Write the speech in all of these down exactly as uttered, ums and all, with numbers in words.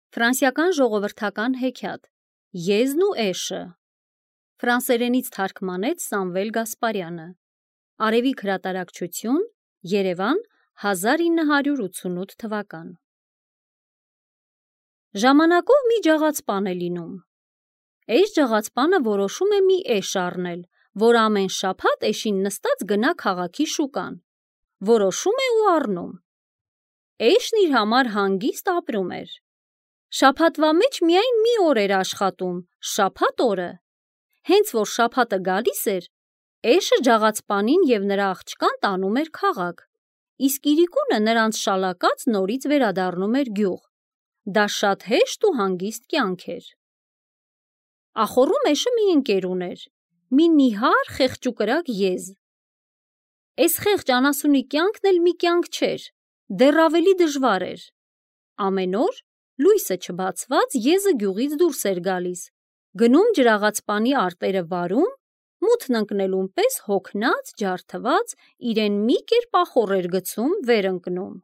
Ֆրանսիական ժողովրդական հեքիաթ Եզն ու էշը Ֆրանսերենից թարգմանեց Սամվել Գասպարյանը Արևիկ հրատարակչություն Երևան հազար ինը հարյուր ութսունութ թվական Ժամանակով մի ջաղացպան է լինում Էս ջաղացպանը որոշում է մի էշ առնել, որ ամեն շաբաթ էշին նստած գնա քաղաքի շուկան Որոշում է ու առնում Էշն իր համար հանգիստ ապրում էր Շաբաթվա մեջ միայն մի օր էր աշխատում, շաբաթ օրը Հենց որ շաբաթը գալիս էր, էշը ջաղացպանին և նրա աղջկան տանում էր քաղաք, իսկ իրիկունը նրանց շալակած նորից վերադառնում էր գյուղ Դա շատ հեշտ ու հանգիստ կյանք էր Ախոռում էշը մի ընկեր ուներ, մի նիհար խեղճուկրակ եզ Էս խեղճ անասունի կյանքն էլ մի կյանք չէր, դեռ ավելի դժվար էր Ամեն օր, լույսը չբացված, եզը գյուղից դուրս էր գալիս, գնում ջրաղացպանի արտերը վարում, մութն ընկնելուն պես հոգնած, ջարդված, իրեն մի կերպ ախոռ էր գցում, վեր ընկնում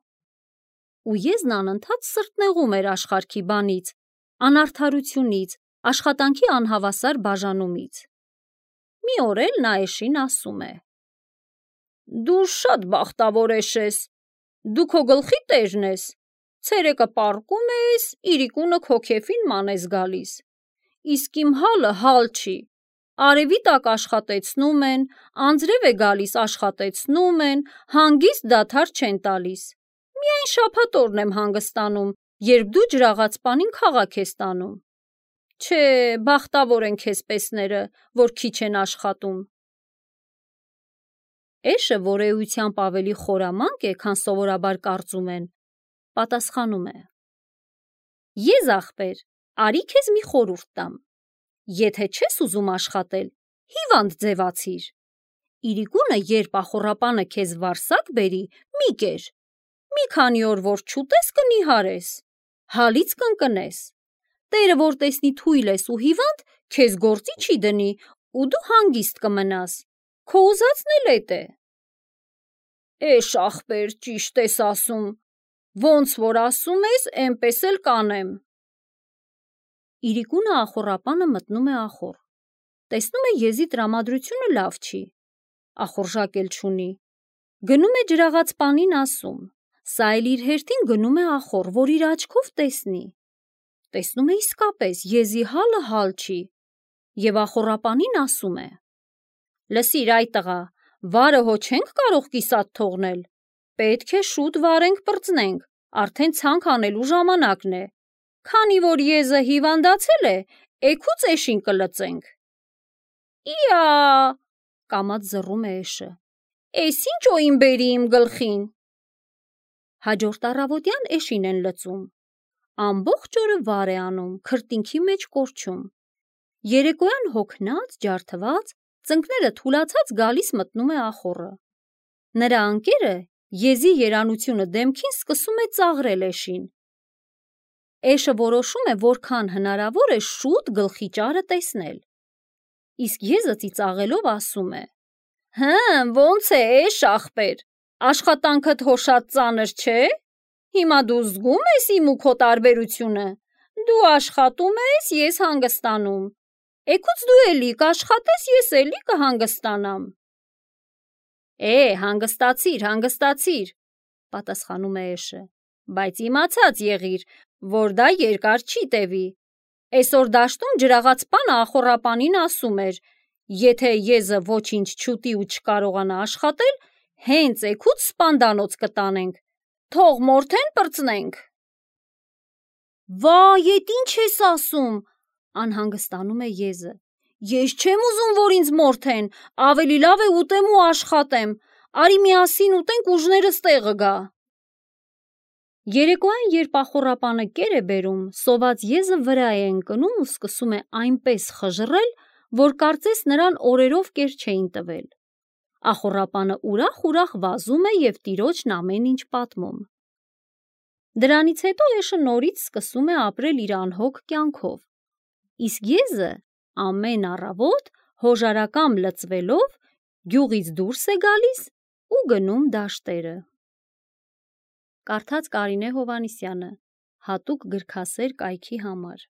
Ու եզն անընդհատ սրտնեղում էր աշխարհքի բանից, անարդարությունից, աշխատանքի անհավասար բաժանումից Մի օր էլ նա էշին ասում է. Դու շատ բախտավոր էշ ես, դու քո գլխի տերն ես, ցերեկը պառկում ես, իրիկունը քո քեֆին ման ես գալիս, իսկ իմ հալը հալ չի, արևի տակ աշխատեցնում են, անձրև է գալիս աշխատեցնում են, հանգիստ դադար չեն տալիս, միայն շաբաթ օրն եմ հանգստանում, երբ դու ջրաղացպանին քաղաք ես տանում, չէ, բախտավոր են քեզպեսները, որ քիչ են աշխատում Էշը, որ էությամբ ավելի խորամանկ է, քան սովորաբար կարծում են, պատասխանում է. Եզ ախպեր, արի քեզ մի խորհուրդ տամ, եթե չես ուզում աշխատել, հիվանդ ձևացիր, իրիկունը երբ ախոռապանը քեզ վարսակ բերի, մի կեր, մի քանի օր որ չուտես կնիհարես, հալից կընկնես, տերը որ տեսնի թույլ ես ու հիվանդ, քեզ գործի չի դնի ու դու հանգիստ կմնաս, քո ուզածն էլ էդ է Էշ ախպեր, ճիշտ ես ասում, ոնց որ ասում ես, էնպես էլ կանեմ Իրիկունը ախոռապանը մտնում է ախոռ, տեսնում է եզի տրամադրությունը լավ չի, ախոռժակ էլ չունի, գնում է ջրաղացպանին ասում, սա էլ իր հերթին գնում է ախոռ, որ իր աչքով տեսնի, տեսնում է իսկապես եզի հալը հալ չի, և ախոռապանին ասում է. Լսիր այ տղա, վարը հո չենք կարող կիսատ թողնել, պետք է շուտ վարենք պրծնենք, արդեն ցանք անելու ժամանակն է, քանի որ եզը հիվանդացել է, էգուց էշին կլծենք Իա, կամաց զռում է էշը, էս ինչ օին բերի իմ գլխին Հաջորդ առավոտյան էշին են լծում, ամբողջ օրը վար է անում, քրտինքի մեջ կորչում, երեկոյան հոգնած, ջարդված, ծնկները թուլացած գալիս մտնում է ախոռը, նրա ընկերը եզի երանությունը դեմքին սկսում է ծաղրել էշին, էշը որոշում է որքան հնարավոր է շուտ գլխի ճարը տեսնել, իսկ եզը ծիծաղելով ասում է. Հը, ոնց է էշ ախպեր, աշխատանքդ հո շատ ծանր չէ, հիմա դու զգում ես իմ ու քո տարբերությունը, դու աշխատում ես, ես հանգստանում, էգուց դու էլի կաշխատես, ես էլի կհանգստանամ Է, հանգստացիր, հանգստացիր, պատասխանում է էշը, բայց իմացած եղիր, որ դա երկար չի տևի, էսօր դաշտում ջրաղացպանը ախոռապանին ասում էր, եթե եզը ոչինչ չուտի ու չկարողանա աշխատել, հենց էգուց սպանդանոց կտանենք, թող մորթեն պրծնենք Վայ, էդ ինչ ես ասում, անհանգստանում է եզը, ես չեմ ուզում, որ ինձ մորթեն, ավելի լավ է ուտեմ ու աշխատեմ, արի միասին ուտենք ուժներս տեղը գա Երեկոյան, երբ ախոռապանը կեր է բերում, սոված եզը վրա է ընկնում ու սկսում է այնպես խժռել, որ կարծես նրան օրերով կեր չէին տվել Ախոռապանը ուրախ-ուրախ վազում է և տիրոջն ամեն ինչ պատմում Դրանից հետո էշը նորից սկսում է ապրել իր անհոգ կյանքով, իսկ եզը ամեն առավոտ հոժարակամ լծվելով գյուղից դուրս է գալիս ու գնում դաշտերը Կարդաց Կարինե Հովհաննիսյանը, հատուկ գրքասեր կայքի համար։